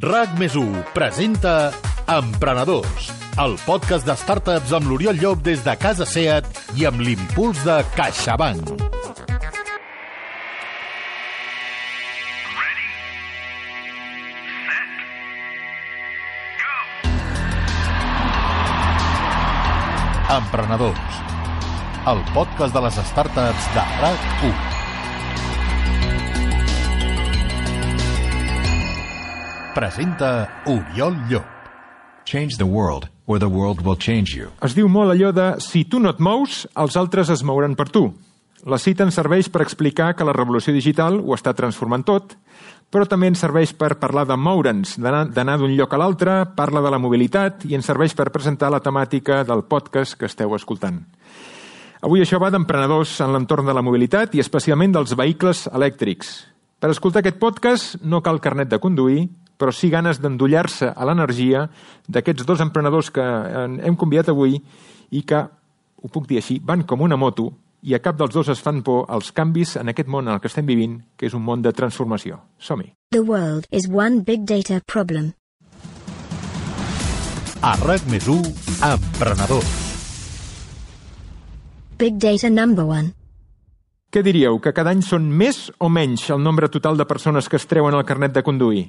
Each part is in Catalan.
RAC+1 presenta Emprenedors, el podcast de startups amb l'Oriol Llop des de Casa Seat i amb l'impuls de CaixaBank. Emprenedors, el podcast de les startups de RAC1. Presenta Oriol Llop. Change the world, or the world will change you. Es diu molt allò de si tu no et mous, els altres es mouran per tu. La cita ens serveix per explicar que la revolució digital ho està transformant tot, però també ens serveix per parlar de moure'ns, d'anar d'un lloc a l'altre, parla de la mobilitat i ens serveix per presentar la temàtica del podcast que esteu escoltant. Avui això va d'emprenedors en l'entorn de la mobilitat i especialment dels vehicles elèctrics. Per escoltar aquest podcast no cal carnet de conduir, però sí ganes d'endollar-se a l'energia d'aquests dos emprenedors que hem convidat avui i que, ho puc dir així, van com una moto i a cap dels dos es fan por als canvis en aquest món en el que estem vivint, que és un món de transformació. Som-hi. The world is one big data problem. A RAC+1, Emprenedors. Big data number one. Què diríeu, que cada any són més o menys el nombre total de persones que es treuen el carnet de conduir?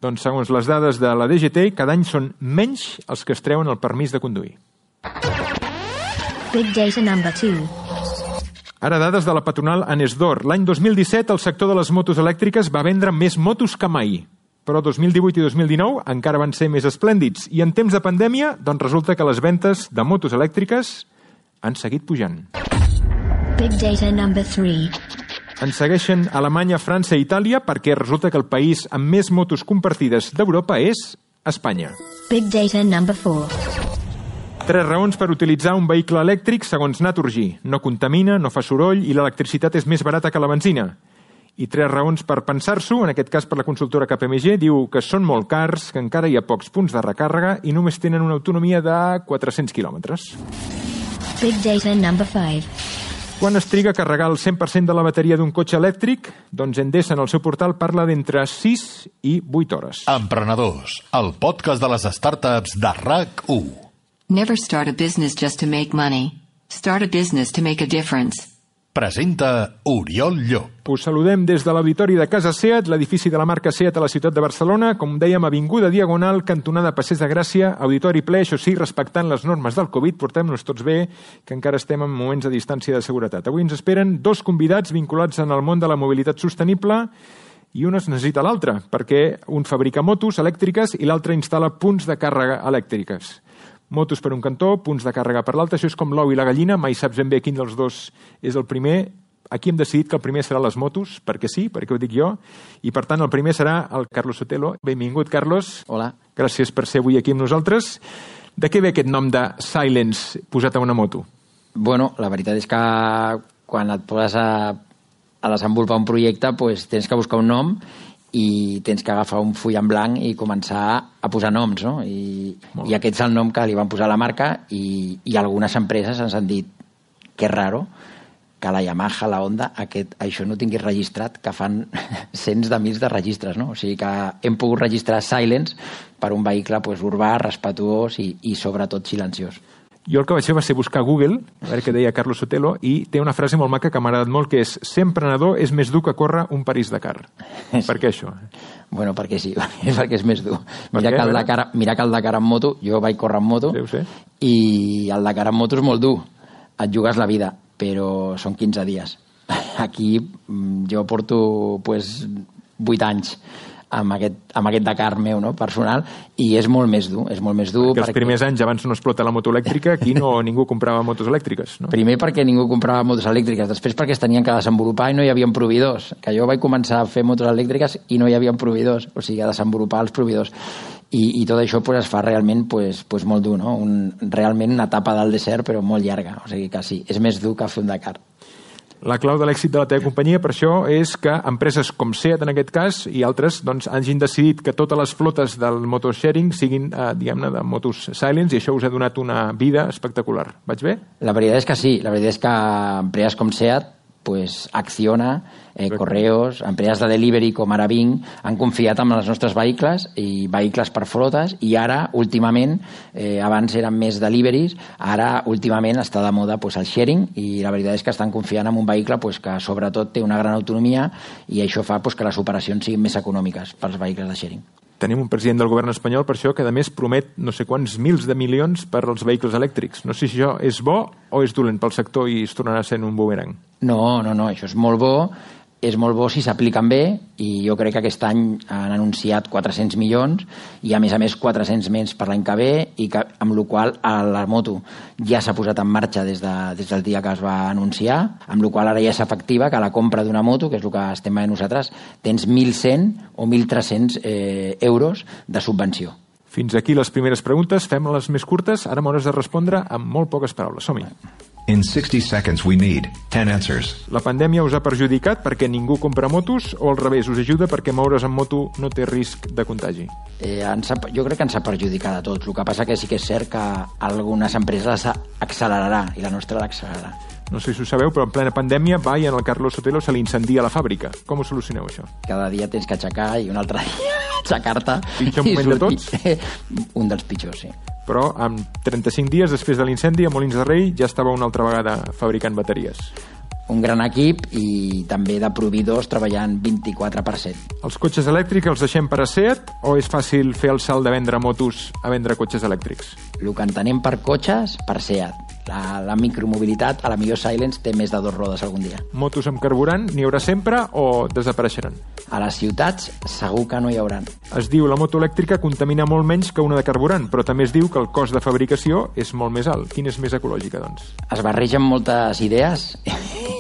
Doncs segons les dades de la DGT, cada any són menys els que es treuen el permís de conduir. Big data number two. Ara dades de la patronal Anesdor. L'any 2017 el sector de les motos elèctriques va vendre més motos que mai. Però 2018 i 2019 encara van ser més esplèndids. I en temps de pandèmia, doncs resulta que les ventes de motos elèctriques han seguit pujant. Big data number three. Ens segueixen Alemanya, França i Itàlia perquè resulta que el país amb més motos compartides d'Europa és Espanya. Big data number four. 3 raons per utilitzar un vehicle elèctric segons Naturgy. No contamina, no fa soroll i l'electricitat és més barata que la benzina. I 3 raons per pensar-s'ho, en aquest cas per la consultora KPMG, diu que són molt cars, que encara hi ha pocs punts de recàrrega i només tenen una autonomia de 400 quilòmetres. Big data number five. Quan es triga a carregar el 100% de la bateria d'un cotxe elèctric? Doncs Endesa en el seu portal parla d'entre 6 i 8 hores. Emprenedors, el podcast de les startups de RAC1. Never start a business just to make money. Start a business to make a difference. Presenta Oriol Llop. Us saludem des de l'auditori de Casa Seat, l'edifici de la marca Seat a la ciutat de Barcelona, com dèiem, avinguda Diagonal, cantonada Passeig de Gràcia, auditori ple, això sí, respectant les normes del Covid, portem-nos tots bé, que encara estem en moments de distància de seguretat. Avui ens esperen 2 convidats vinculats en el món de la mobilitat sostenible i un es necessita l'altre, perquè un fabrica motos elèctriques i l'altre instal·la punts de càrrega elèctriques. Motos per un cantó, punts de càrrega per l'altre, això és com l'ou i la gallina, mai saps ben bé quin dels dos és el primer. Aquí hem decidit que el primer serà les motos, perquè sí, perquè ho dic jo, i per tant el primer serà el Carlos Sotelo. Benvingut, Carlos. Hola. Gràcies per ser avui aquí amb nosaltres. De què ve aquest nom de Silence posat a una moto? Bueno, la veritat és que quan et poses a desenvolupar un projecte pues, tens que buscar un nom i tens que agafar un full en blanc i començar a posar noms, no? I aquest és el nom que li van posar a la marca i algunes empreses ens han dit que és raro que la Yamaha, la Honda, això no tingués registrat, que fan cents de mils de registres, no? O sigui que hem pogut registrar Silence per un vehicle pues, urbà, respetuós i sobretot silenciós. Jo el que vaig fer va ser buscar a Google, a veure què deia Carlos Sotelo, i té una frase molt maca que m'ha agradat molt, que és ser emprenedor és més dur que córrer un París-Dakar. Sí. Per què això? Bueno, perquè sí, perquè és més dur. Mira que el Dakar en moto, jo vaig córrer en moto, i el Dakar en moto és molt dur. Et jugues la vida, però són 15 dies. Aquí jo porto pues, 8 anys amb aquest Dakar meu, no? Personal, i és molt més dur. Perquè els primers anys, abans no explota la moto elèctrica, aquí ningú comprava motos elèctriques, no? Primer perquè ningú comprava motos elèctriques, després perquè es tenien que desenvolupar i no hi havia proveïdors, que jo vaig començar a fer motos elèctriques i no hi havia proveïdors, o sigui, a desenvolupar els proveïdors. I tot això pues, es fa realment pues, molt dur, no? Realment una etapa del desert, però molt llarga, o sigui que sí, és més dur que fer un Dakar. La clau de l'èxit de la teva companyia, per això, és que empreses com Seat, en aquest cas, i altres, doncs, hagin decidit que totes les flotes del motosharing siguin, diguem-ne, de motos Silence, i això us ha donat una vida espectacular. Vaig bé? La veritat és que sí. La veritat és que empreses com Seat pues, Acciona, Correos, empreses de delivery com ara Bing, han confiat en els nostres vehicles i vehicles per flotes, i ara, últimament, abans eren més deliveries, ara, últimament, està de moda pues, el sharing, i la veritat és que estan confiant en un vehicle pues, que, sobretot, té una gran autonomia, i això fa pues, que les operacions siguin més econòmiques pels vehicles de sharing. Tenim un president del govern espanyol, per això, que a més promet no sé quants mils de milions per als vehicles elèctrics. No sé si això és bo o és dolent pel sector i es tornarà sent un boomerang. No, això és molt bo si s'apliquen bé, i jo crec que aquest any han anunciat 400 milions i a més 400 més per l'any que ve, i que, amb la qual la moto ja s'ha posat en marxa des del dia que es va anunciar, amb la qual ara ja és efectiva que la compra d'una moto, que és el que estem veient nosaltres, tens 1.100 o 1.300 euros de subvenció. Fins aquí les primeres preguntes, fem les més curtes, ara m'hauràs de respondre amb molt poques paraules. Som-hi. In 60 seconds, we need 10 answers. La pandèmia us ha perjudicat perquè ningú compra motos o al revés, us ajuda perquè moure's en moto no té risc de contagi? Jo crec que ens ha perjudicat a tots. El que passa que sí que és cert que algunes empreses accelerarà i la nostra l'accelerarà. No sé si ho sabeu, però en plena pandèmia va i en el Carlos Sotelo se li incendia la fàbrica. Com ho solucioneu, això? Cada dia tens que aixecar i un altre dia aixecar-te. Pitjor moment de tots? Un dels pitjors, sí. Però en 35 dies després de l'incendi a Molins de Rei ja estava una altra vegada fabricant bateries. Un gran equip i també de proveïdors treballant 24/7. Els cotxes elèctrics els deixem per a SEAT o és fàcil fer el salt de vendre motos a vendre cotxes elèctrics? El que entenem per cotxes, per SEAT. La micromobilitat, a la millor Silence, té més de 2 rodes algun dia. Motos amb carburant n'hi haurà sempre o desapareixeran? A les ciutats segur que no hi haurà. Es diu la moto elèctrica contamina molt menys que una de carburant, però també es diu que el cost de fabricació és molt més alt. Quina és més ecològica, doncs? Es barregen moltes idees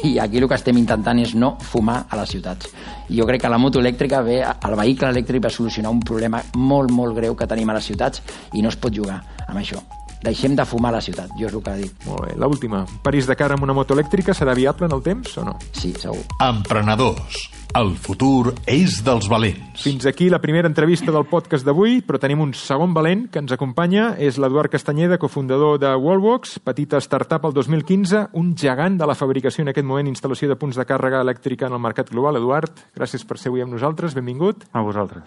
i aquí el que estem intentant és no fumar a les ciutats. I jo crec que la moto elèctrica el vehicle elèctric va solucionar un problema molt, molt greu que tenim a les ciutats i no es pot jugar amb això. Deixem de fumar a la ciutat, jo és el que dic. Molt bé, l'última. París-Dakar amb una moto elèctrica serà viable en el temps o no? Sí, segur. Emprenedors. El futur és dels valents. Fins aquí la primera entrevista del podcast d'avui, però tenim un segon valent que ens acompanya. És l'Eduard Castanyeda, cofundador de Wallbox, petita startup el 2015, un gegant de la fabricació en aquest moment, instal·lació de punts de càrrega elèctrica en el mercat global. Eduard, gràcies per ser avui amb nosaltres, benvingut. A vosaltres.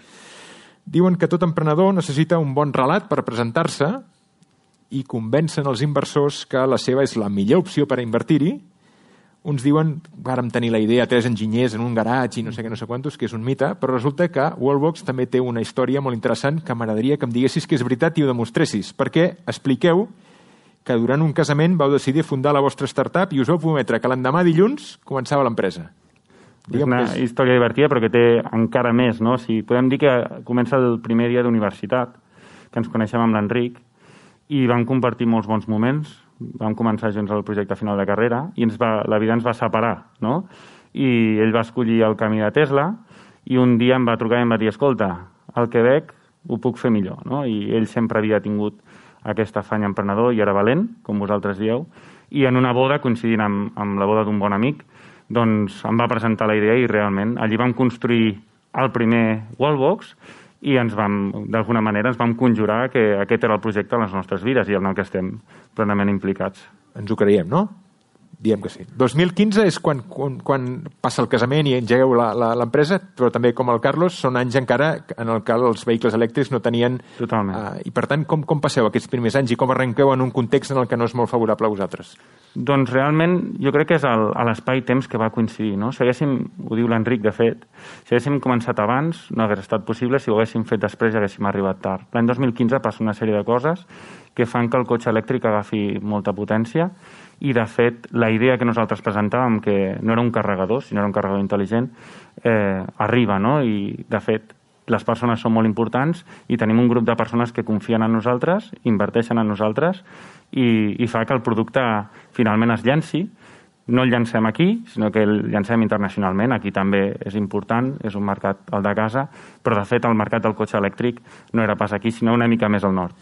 Diuen que tot emprenedor necessita un bon relat per presentar-se i convencen els inversors que la seva és la millor opció per a invertir-hi. Uns diuen, vàrem tenir la idea, 3 enginyers en un garatge i no sé què, no sé quantos, que és un mite, però resulta que Wallbox també té una història molt interessant que m'agradaria que em diguessis que és veritat i ho demostressis, perquè expliqueu que durant un casament vau decidir fundar la vostra startup i us vau prometre que l'endemà dilluns començava l'empresa. És una història divertida però que té encara més, no? Podem dir que comença el primer dia d'universitat, que ens coneixem amb l'Enric, i vam compartir molts bons moments, vam començar junts el projecte final de carrera i la vida ens va separar, no? I ell va escollir el camí de Tesla i un dia em va trucar i em va dir, escolta, al Quebec ho puc fer millor, no? I ell sempre havia tingut aquest afany emprenedor i era valent, com vosaltres dieu, i en una boda, coincidint amb la boda d'un bon amic, doncs em va presentar la idea i realment allí vam construir el primer Wallbox i d'alguna manera ens vam conjurar que aquest era el projecte de les nostres vides i en el que estem plenament implicats. Ens ho creiem, no? Diem que sí. 2015 és quan passa el casament i engegueu l'empresa, però també com el Carlos són anys encara en el que els vehicles elèctrics no tenien... Totalment. I per tant, com passeu aquests primers anys i com arrenqueu en un context en el que no és molt favorable a vosaltres? Doncs realment jo crec que és a l'espai-temps que va coincidir, no? Si haguéssim, ho diu l'Enric de fet, si haguéssim començat abans no hagués estat possible, si ho haguéssim fet després haguéssim arribat tard. L'any 2015 passa una sèrie de coses que fan que el cotxe elèctric agafi molta potència i, de fet, la idea que nosaltres presentàvem, que no era un carregador, sinó era un carregador intel·ligent, arriba, no? I, de fet, les persones són molt importants i tenim un grup de persones que confien en nosaltres, inverteixen en nosaltres i fa que el producte finalment es llanci. No el llancem aquí, sinó que el llancem internacionalment. Aquí també és important, és un mercat, el de casa, però, de fet, el mercat del cotxe elèctric no era pas aquí, sinó una mica més al nord.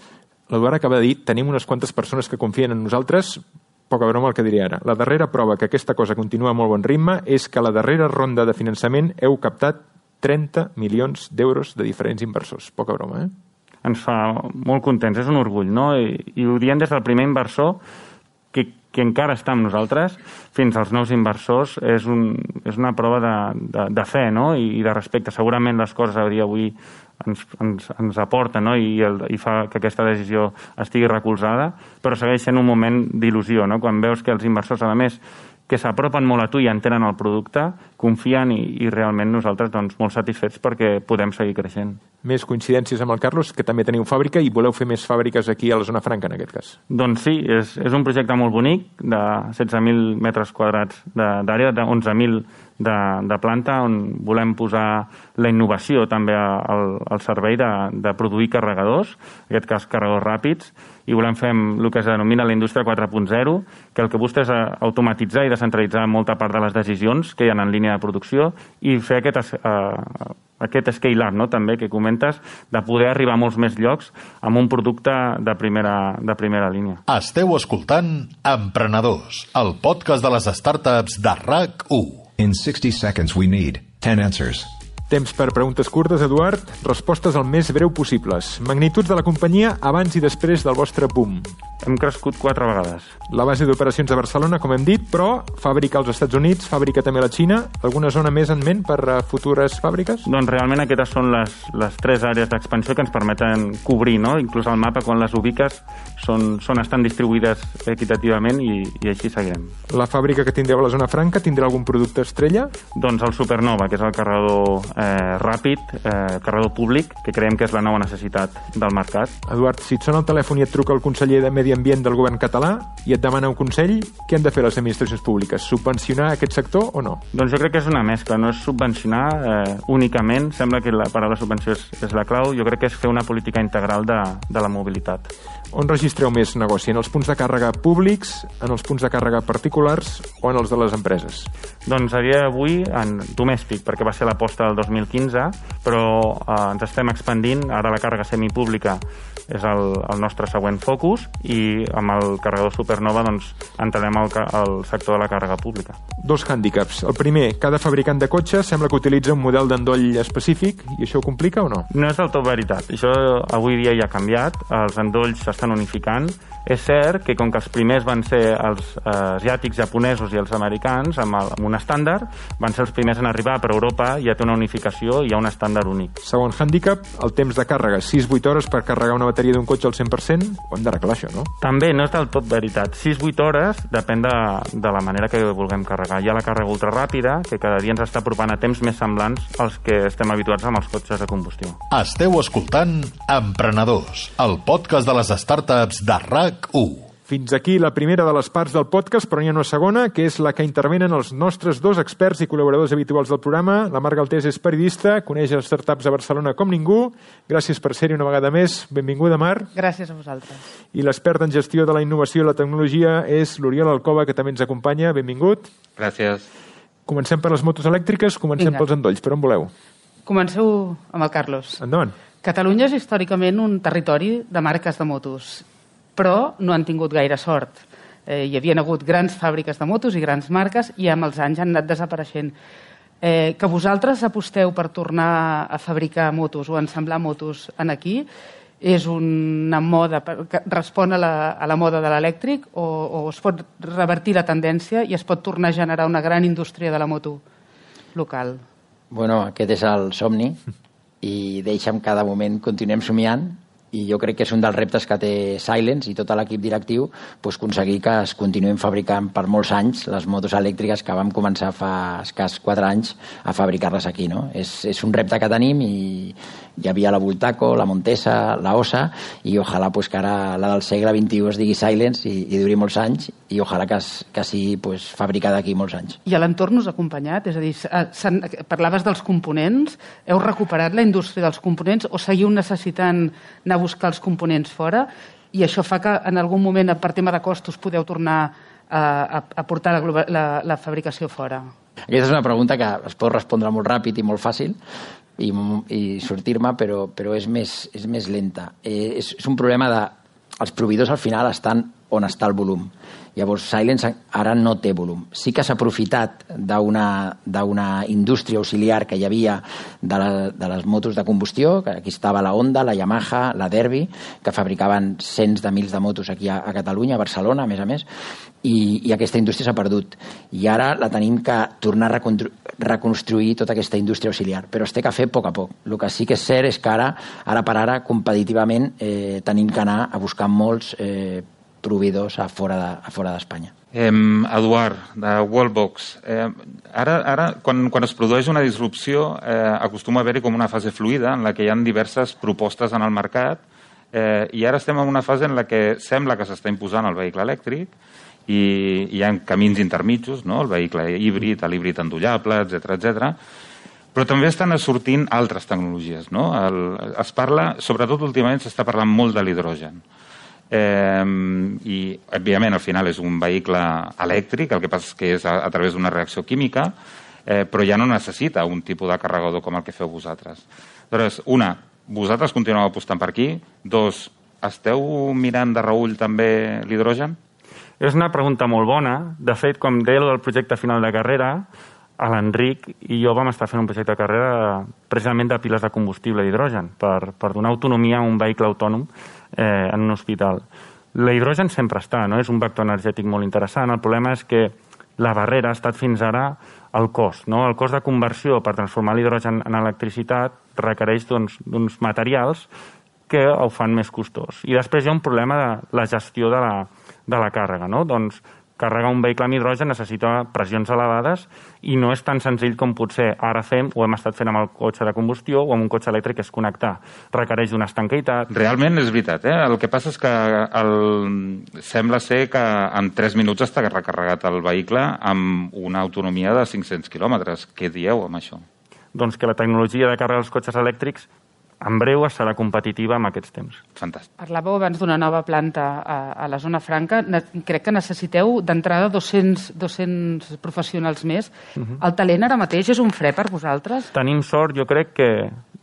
L'Eduard acaba de dir, tenim unes quantes persones que confien en nosaltres. Poca broma el que diré ara. La darrera prova que aquesta cosa continua a molt bon ritme és que a la darrera ronda de finançament heu captat 30 milions d'euros de diferents inversors. Poca broma, eh? Ens fa molt contents, és un orgull, no? I ho diem des del primer inversor que qui encara està amb nosaltres, fins als nous inversors, és una prova de fe, no? I de respecte. Segurament les coses a dia d'avui ens aporten, no? I fa que aquesta decisió estigui recolzada, però segueix sent un moment d'il·lusió, no? Quan veus que els inversors, a més, que s'apropen molt a tu i entenen el producte, confien i realment nosaltres doncs, molt satisfets perquè podem seguir creixent. Més coincidències amb el Carlos, que també teniu fàbrica i voleu fer més fàbriques aquí a la zona franca, en aquest cas. Doncs sí, és un projecte molt bonic, de 16.000 metres quadrats d'àrea, de 11.000 de planta, on volem posar la innovació també al servei de produir carregadors, en aquest cas carregadors ràpids, i volem fer el que es denomina la indústria 4.0, que el que busca és automatitzar i descentralitzar molta part de les decisions que hi ha en línia de producció i fer aquest scale-up, no? També que comentes, de poder arribar a molts més llocs amb un producte de primera línia. Esteu escoltant Emprenedors, el podcast de les startups de RAC1. In 60 seconds, we need 10 answers. Temps per preguntes curtes, Eduard. Respostes el més breu possibles. Magnituds de la companyia abans i després del vostre boom. Hem crescut 4 vegades. La base d'operacions a Barcelona, com hem dit, però fàbrica als Estats Units, fàbrica també a la Xina. Alguna zona més en ment per futures fàbriques? Doncs realment aquestes són les 3 àrees d'expansió que ens permeten cobrir, no? Inclús al mapa, quan les ubiques, estan distribuïdes equitativament i així seguirem. La fàbrica que tindreu a la zona franca tindrà algun producte estrella? Doncs el Supernova, que és el carregador ràpid, carregador públic, que creiem que és la nova necessitat del mercat. Eduard, si et sona el telèfon i et truca el conseller de Medi Ambient del govern català i et demana un consell, què han de fer les administracions públiques? Subvencionar aquest sector o no? Doncs jo crec que és una mescla, no és subvencionar únicament, sembla que la paraula subvenció és la clau, jo crec que és fer una política integral de la mobilitat. On registreu més negoci? En els punts de càrrega públics, en els punts de càrrega particulars o en els de les empreses? Doncs a dia d'avui en domèstic, perquè va ser l'aposta del 2015, però ens estem expandint. Ara la càrrega semipública és el nostre següent focus i amb el carregador Supernova doncs, entrarem al sector de la càrrega pública. 2 hàndicaps. El primer, cada fabricant de cotxes sembla que utilitza un model d'endoll específic i això ho complica o no? No és del tot veritat. Això avui dia ja ha canviat. Els endolls s'estan unificant. És cert que com que els primers van ser els asiàtics, japonesos i els americans amb un estàndard, van ser els primers en arribar, però Europa ja té una unificació i hi ha un estàndard únic. Segon hàndicap, el temps de càrrega. 6-8 hores per carregar una bateria d'un cotxe al 100%? Ho hem d'arreglar, això, no? També no és del tot veritat. 6-8 hores depèn de la manera que vulguem carregar. Hi ha la càrrega ultraràpida, que cada dia ens està apropant a temps més semblants als que estem habituats amb els cotxes de combustió. Esteu escoltant Emprenedors, el podcast de les startups de RAC1. Fins aquí la primera de les parts del podcast, però n'hi ha una segona, que és la que intervenen els nostres 2 experts i col·laboradors habituals del programa. La Mar Galtés és periodista, coneix les startups a Barcelona com ningú. Gràcies per ser-hi una vegada més. Benvinguda, Mar. Gràcies a vosaltres. I l'expert en gestió de la innovació i la tecnologia és l'Oriol Alcoba, que també ens acompanya. Benvingut. Gràcies. Comencem per les motos elèctriques, comencem pels endolls. Per on voleu? Comenceu amb el Carlos. Endavant. Catalunya és històricament un territori de marques de motos, però no han tingut gaire sort. Hi havien hagut grans fàbriques de motos i grans marques i amb els anys han anat desapareixent. Que vosaltres aposteu per tornar a fabricar motos o a ensamblar motos aquí és una moda que respon a la moda de l'elèctric o es pot revertir la tendència i es pot tornar a generar una gran indústria de la moto local? Bueno, aquest és el somni i deixa'm cada moment continuem somiant i jo crec que és un dels reptes que té Silence i tot l'equip directiu aconseguir que es continuïn fabricant per molts anys les motos elèctriques que vam començar fa escàs 4 anys a fabricar-les aquí, no? És un repte que tenim i hi havia la Bultaco, la Montesa, la Osa i ojalà que ara la del segle XXI es digui Silence i duri molts anys i ojalà que sigui fabricada aquí molts anys. I a l'entorn us ha acompanyat? És a dir, parlaves dels components, heu recuperat la indústria dels components o seguiu necessitant anar a buscar els components fora i això fa que en algun moment per tema de costos podeu tornar a portar la fabricació fora? Aquesta és una pregunta que es pot respondre molt ràpid i molt fàcil i sortir-me, però és més lenta. És un problema de... Els proveïdors al final estan on està el volum. Llavors, Silence ara no té volum. Sí que s'ha aprofitat d'una indústria auxiliar que hi havia de les motos de combustió, que aquí estava la Honda, la Yamaha, la Derby, que fabricaven cents de mils de motos aquí a Catalunya, a Barcelona, a més, i aquesta indústria s'ha perdut. I ara la tenim que tornar a reconstruir tota aquesta indústria auxiliar, però es té que fer a poc. El que sí que és cert és que ara per ara, competitivament, tenim que anar a buscar molts proveïdors a fora d'Espanya. Eduard, de Wallbox, ara quan es produeix una disrupció acostuma a haver-hi com una fase fluida en la que hi ha diverses propostes en el mercat i ara estem en una fase en la que sembla que s'està imposant el vehicle elèctric i hi ha camins intermitjos, no? El vehicle híbrid, l'híbrid endollable, etc. Però també estan sortint altres tecnologies, no? Es parla, sobretot últimament s'està parlant molt de l'hidrogen. I òbviament al final és un vehicle elèctric, el que passa és que és a través d'una reacció química, però ja no necessita un tipus de carregador com el que feu vosaltres. Llavors, vosaltres continueu apostant per aquí? Dos, esteu mirant de reüll també l'hidrogen? És una pregunta molt bona. De fet, com deia del projecte final de carrera, l'Enric i jo vam estar fent un projecte de carrera precisament de piles de combustible d'hidrogen per donar autonomia a un vehicle autònom en un hospital. L'hidrogen sempre està, no? És un vector energètic molt interessant. El problema és que la barrera ha estat fins ara el cost. No? El cost de conversió per transformar l'hidrogen en electricitat requereix d'uns materials que ho fan més costós. I després hi ha un problema de la gestió de la càrrega. No? Doncs carregar un vehicle amb hidrogen necessita pressions elevades i no és tan senzill com potser ara fem o hem estat fent amb el cotxe de combustió o amb un cotxe elèctric, és connectar. Requereix una estanqueïtat. Realment és veritat, El que passa és que sembla ser que en 3 minuts està recarregat el vehicle amb una autonomia de 500 quilòmetres. Què dieu amb això? Doncs que la tecnologia de càrrega dels cotxes elèctrics en breu serà competitiva amb aquests temps. Fantàstic. Parlàveu abans d'una nova planta a la zona franca. Crec que necessiteu d'entrada 200 professionals més. El talent ara mateix és un fre per vosaltres? Tenim sort, jo crec que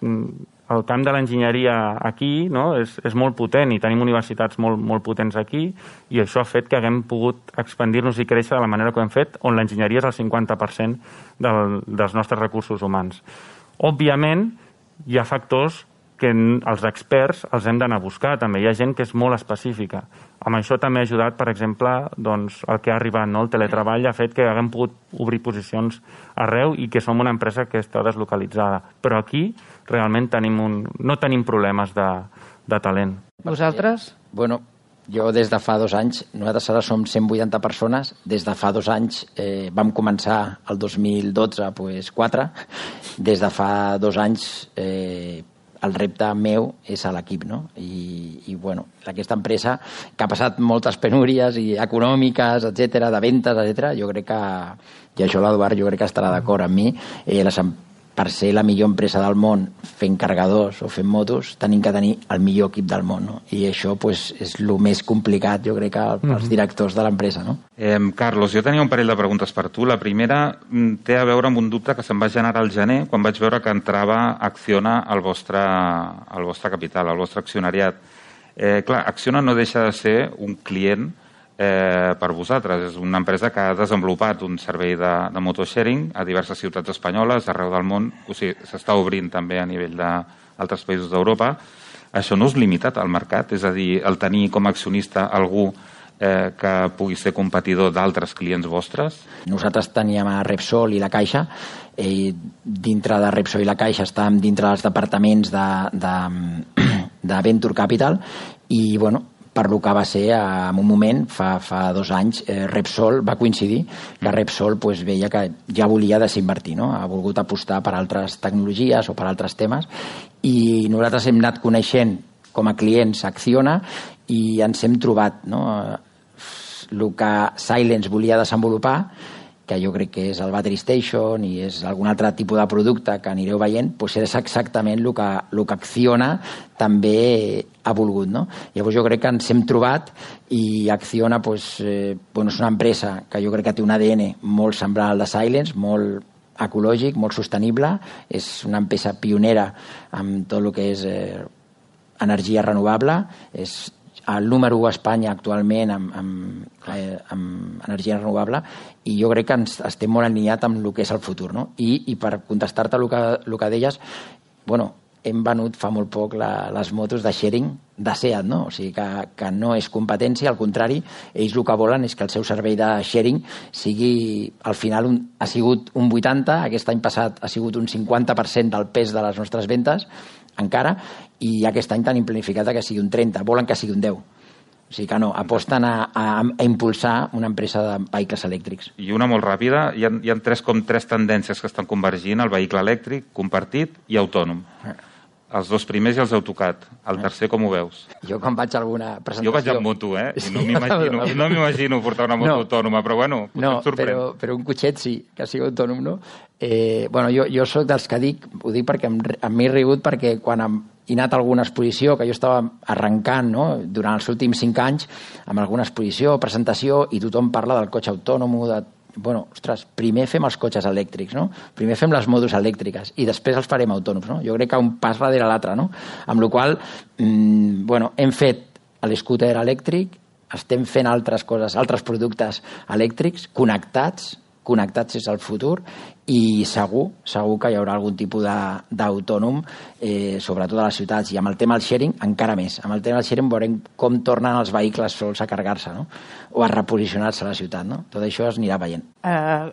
el camp de l'enginyeria aquí és molt potent i tenim universitats molt potents aquí i això ha fet que haguem pogut expandir-nos i créixer de la manera que ho hem fet, on l'enginyeria és el 50% dels nostres recursos humans. Òbviament, hi ha factors que els experts els hem d'anar a buscar. També hi ha gent que és molt específica. Amb això també ha ajudat, per exemple, el que ha arribat, el teletreball ha fet que haguem pogut obrir posicions arreu i que som una empresa que està deslocalitzada. Però aquí realment no tenim problemes de talent. Vosaltres? Bueno, jo des de fa 2 anys, nosaltres ara som 180 persones, des de fa 2 anys vam començar el 2012, 4, des de fa 2 anys el repte meu és a l'equip, no? I bueno, aquesta empresa que ha passat moltes penúries i econòmiques, etc, de ventes, etc, jo crec que, i això l'Eduard jo crec que estarà d'acord amb mi, per ser la millor empresa del món fent carregadors o fent motos, tenim que tenir el millor equip del món, no? I això és el més complicat, jo crec, pels directors de l'empresa, no? Carlos, jo tenia un parell de preguntes per tu. La primera té a veure amb un dubte que se'm va generar al gener quan vaig veure que entrava Acciona al vostre capital, al vostre accionariat. Clar, Acciona no deixa de ser un client per vosaltres. És una empresa que ha desenvolupat un servei de motosharing a diverses ciutats espanyoles arreu del món. O sigui, s'està obrint també a nivell d'altres països d'Europa. Això no és limitat al mercat? És a dir, el tenir com a accionista algú que pugui ser competidor d'altres clients vostres? Nosaltres teníem a Repsol i la Caixa. Dintre de Repsol i la Caixa estàvem dintre dels departaments de Venture Capital i, bueno, per lo que va ser en un moment, fa 2 anys, Repsol va coincidir que Repsol veia que ja volia desinvertir, no? Ha volgut apostar per altres tecnologies o per altres temes i nosaltres hem anat coneixent com a clients Acciona i ens hem trobat, no? El que Silence volia desenvolupar, que jo crec que és el Battery Station i és algun altre tipus de producte que anireu veient, és exactament el que Acciona també ha volgut, no? Llavors jo crec que ens hem trobat i Acciona és una empresa que jo crec que té un ADN molt semblant al de Silence, molt ecològic, molt sostenible, és una empresa pionera amb tot el que és energia renovable, el número 1 a Espanya actualment amb energia renovable, i jo crec que estem molt alineats amb el que és el futur, no? I per contestar-te el que deies, bueno, hem venut fa molt poc les motos de sharing de SEAT, no? O sigui que no és competència, al contrari, ells el que volen és que el seu servei de sharing sigui, al final ha sigut un 80%, aquest any passat ha sigut un 50% del pes de les nostres ventes, encara, i aquest any tenim planificat que sigui un 30%, volen que sigui un 10%. O sigui que no, aposten a impulsar una empresa de vehicles elèctrics. I una molt ràpida, hi ha tres tendències que estan convergint, el vehicle elèctric, compartit i autònom. Els dos primers ja els heu tocat. El tercer, com ho veus? Jo quan vaig a alguna presentació... Jo vaig amb moto, I no m'imagino portar una moto autònoma, però bueno, potser et sorprèn. Però un cotxet sí, que sigui autònom, no? Jo soc dels que dic, ho dic perquè m'he rigut, perquè quan he anat a alguna exposició, que jo estava arrencant, no?, durant els últims 5 anys, amb alguna exposició, presentació, i tothom parla del cotxe autònom, bueno, ostres, primer fem els cotxes elèctrics, no? Primer fem les motos elèctriques i després els farem autònoms, no? Jo crec que un pas darrere l'altre, no? Amb la qual cosa, hem fet l'escúter elèctric, estem fent altres coses, altres productes elèctrics connectats és el futur, i segur que hi haurà algun tipus d'autònom, sobretot a les ciutats, i amb el tema del sharing encara més. Amb el tema del sharing veurem com tornen els vehicles sols a carregar-se, no? O a reposicionar-se a la ciutat, no? Tot això es anirà veient.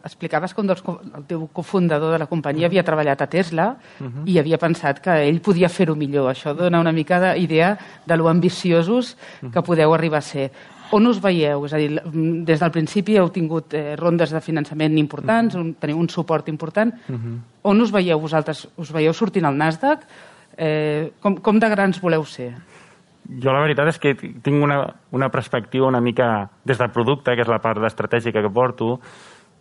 Explicaves que el teu cofundador de la companyia havia treballat a Tesla i havia pensat que ell podia fer-ho millor. Això dona una mica d'idea de lo ambiciosos que podeu arribar a ser. On us veieu? És a dir, des del principi heu tingut rondes de finançament importants, teniu un suport important. On us veieu vosaltres? Us veieu sortint al Nasdaq? Com de grans voleu ser? Jo la veritat és que tinc una perspectiva una mica des del producte, que és la part estratègica que porto,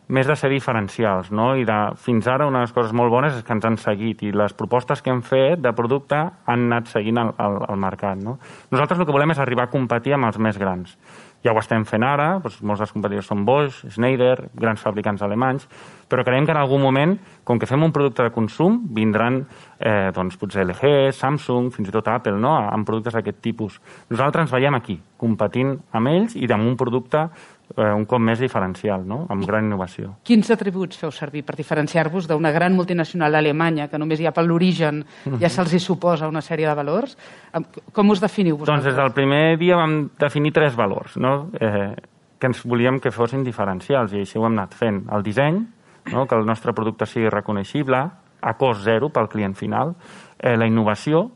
més de ser diferencials, no? I fins ara una de les coses molt bones és que ens han seguit i les propostes que hem fet de producte han anat seguint el mercat, no? Nosaltres el que volem és arribar a competir amb els més grans. Ja ho estem fent ara, doncs molts dels competidors són Bosch, Schneider, grans fabricants alemanys, però creiem que en algun moment, com que fem un producte de consum, vindran potser LG, Samsung, fins i tot Apple, no?, amb productes d'aquest tipus. Nosaltres ens veiem aquí, competint amb ells i amb un producte un cop més diferencial, no?, amb gran innovació. Quins atributs feu servir per diferenciar-vos d'una gran multinacional alemanya que només ja per l'origen ja se'ls hi suposa una sèrie de valors? Com us definiu vosaltres? Doncs des del primer dia vam definir 3 valors, no?, que ens volíem que fossin diferencials, i així ho hem anat fent. El disseny, no?, que el nostre producte sigui reconeixible, a cost zero pel client final, la innovació,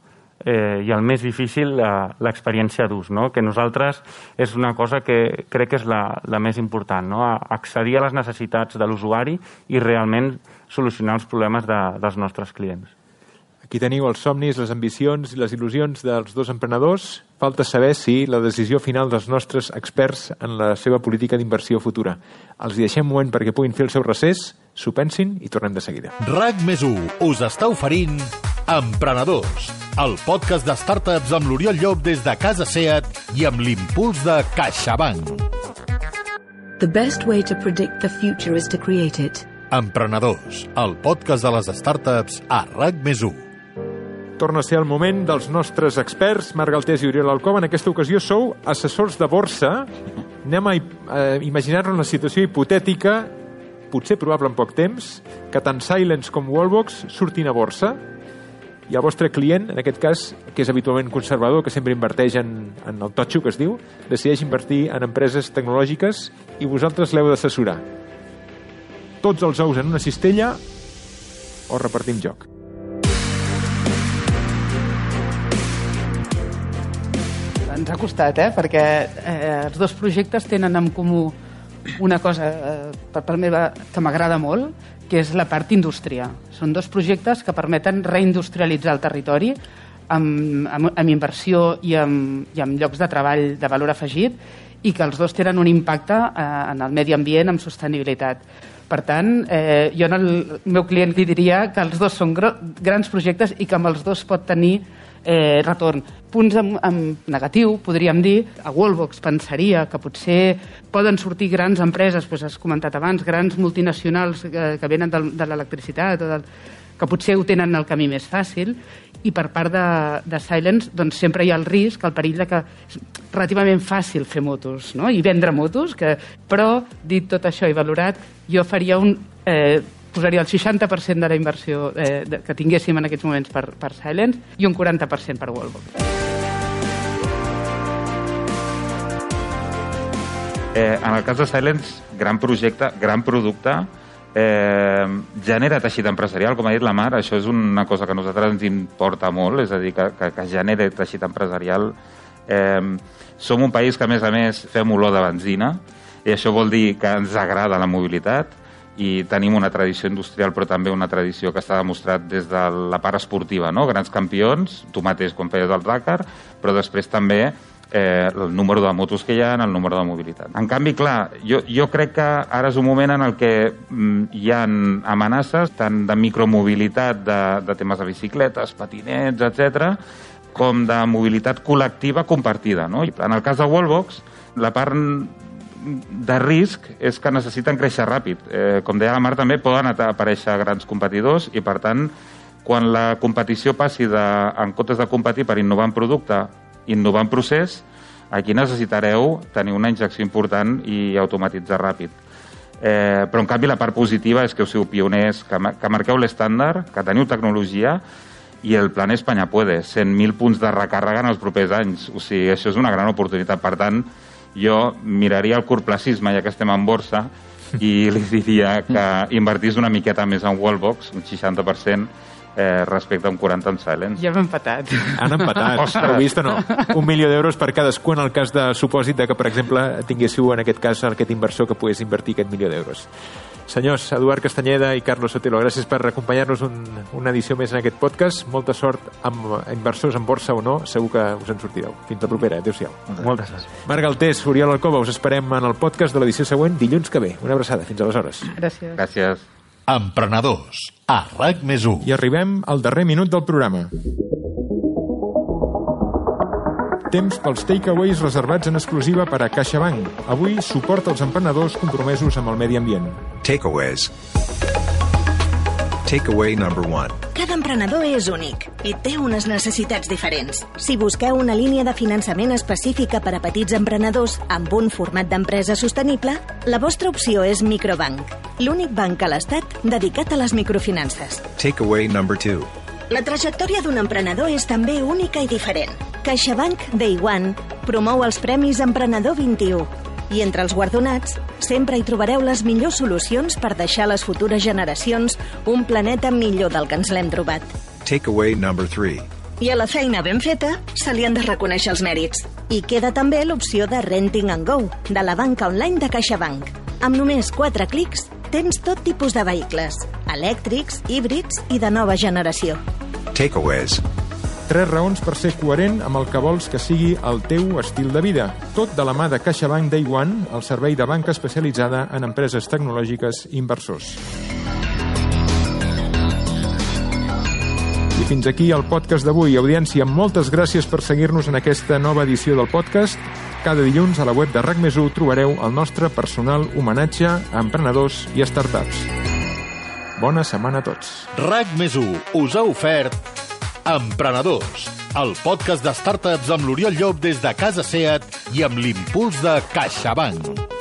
i el més difícil, l'experiència d'ús, no?, que nosaltres és una cosa que crec que és la més important, no?, accedir a les necessitats de l'usuari i realment solucionar els problemes dels nostres clients. Aquí teniu els somnis, les ambicions i les il·lusions dels dos emprenedors. Falta saber si la decisió final dels nostres experts en la seva política d'inversió futura. Els deixem un moment perquè puguin fer el seu recés, s'ho pensin i tornem de seguida. RAC+1 us està oferint Emprenedors, el podcast de startups amb l'Oriol Llop des de Casa SEAT i amb l'impuls de CaixaBank. The best way to predict the future is to create it. Emprenedors, el podcast de les startups a RAC+1. Torna a ser el moment dels nostres experts, Marc Galtés i Oriol Alcoba. En aquesta ocasió sou assessors de borsa. Anem a imaginar-nos una situació hipotètica, potser probable en poc temps, que tant Silence com Wallbox surtin a borsa i el vostre client, en aquest cas, que és habitualment conservador, que sempre inverteix en el totxo, que es diu, decideix invertir en empreses tecnològiques i vosaltres l'heu d'assessorar. Tots els ous en una cistella o repartim joc? Ens ha costat, perquè els dos projectes tenen en comú una cosa per part meva que m'agrada molt, que és la part indústria. Són dos projectes que permeten reindustrialitzar el territori amb inversió i amb llocs de treball de valor afegit, i que els dos tenen un impacte en el medi ambient, amb sostenibilitat. Per tant, jo al meu client li diria que els dos són grans projectes i que amb els dos pot tenir retorn. Punts en negatiu, podríem dir, a Wallbox pensaria que potser poden sortir grans empreses, has comentat abans, grans multinacionals que venen de l'electricitat o que potser ho tenen el camí més fàcil, i per part de Silence doncs sempre hi ha el risc, el perill de que és relativament fàcil fer motos, no? I vendre motos, però dit tot això i valorat, jo faria posaria el 60% de la inversió que tinguéssim en aquests moments per Silence i un 40% per Wallbox. En el cas de Silence, gran projecte, gran producte, genera teixit empresarial, com ha dit la Mar, això és una cosa que a nosaltres ens importa molt, és a dir, que genera teixit empresarial. Som un país que, a més, fem olor de benzina, i això vol dir que ens agrada la mobilitat, i tenim una tradició industrial, però també una tradició que està demostrat des de la part esportiva, no? Grans campions, tu mateix quan feies el Dakar, però després també el número de motos que hi ha, el número de mobilitat. En canvi, clar, jo crec que ara és un moment en el que hi ha amenaces tant de micromobilitat, de temes de bicicletes, patinets, etc., com de mobilitat col·lectiva compartida, no? En el cas de Wallbox, la part de risc és que necessiten créixer ràpid. Com deia la Mar, també poden aparèixer grans competidors i, per tant, quan la competició passi en comptes de competir per innovar en producte, innovar en procés, aquí necessitareu tenir una injecció important i automatitzar ràpid. Però, en canvi, la part positiva és que us siu pioners, que marqueu l'estàndard, que teniu tecnologia, i el plan Espanya puede, 100.000 punts de recàrrega en els propers anys. O sigui, això és una gran oportunitat. Per tant, jo miraria el curtplacisme, ja que estem en borsa, i li diria que invertís una miqueta més en Wallbox, un 60%, respecte a un 40 en Silence. Ja hem empatat. Han empatat, heu vist o no? 1 milió d'euros per cadascú en el cas de supòsit de que, per exemple, tinguéssiu en aquest cas aquest inversor que pogués invertir aquest 1 milió d'euros. Senyors, Eduard Castanyeda i Carlos Sotelo, gràcies per acompanyar-nos una edició més en aquest podcast. Molta sort amb inversors en borsa o no, segur que us en sortireu. Fins la propera, adéu-siau. Moltes gràcies. Marc Galtés, Oriol Alcoba, us esperem en el podcast de l'edició següent dilluns que ve. Una abraçada, fins aleshores. Gràcies. Gràcies. Emprenedors, a RAC+1. I arribem al darrer minut del programa. Temps pels takeaways reservats en exclusiva per a CaixaBank. Avui, suport als emprenedors compromesos amb el medi ambient. Takeaways. Takeaway number 1. Cada emprenedor és únic i té unes necessitats diferents. Si busqueu una línia de finançament específica per a petits emprenedors amb un format d'empresa sostenible, la vostra opció és Microbank, l'únic banc a l'Estat dedicat a les microfinances. Takeaway number 2. La trajectòria d'un emprenedor és també única i diferent. CaixaBank Day One promou els Premis Emprenedor 21 i entre els guardonats sempre hi trobareu les millors solucions per deixar a les futures generacions un planeta millor del que ens l'hem trobat. Takeaway number 3. I a la feina ben feta se li han de reconèixer els mèrits. I queda també l'opció de Renting and Go, de la banca online de CaixaBank. Amb només 4 clics tens tot tipus de vehicles, elèctrics, híbrids i de nova generació. Takeaways. 3 raons per ser coherent amb el que vols que sigui el teu estil de vida. Tot de la mà de CaixaBank Day One, el servei de banca especialitzada en empreses tecnològiques i inversors. I fins aquí el podcast d'avui. Audiència, moltes gràcies per seguir-nos en aquesta nova edició del podcast. Cada dilluns a la web de RAC+1 trobareu el nostre personal homenatge a emprenedors i startups. Bona setmana a tots. RAC+1 us ha ofert Emprenedors, el podcast de startups amb l'Oriol Llop des de Casa Seat i amb l'impuls de CaixaBank.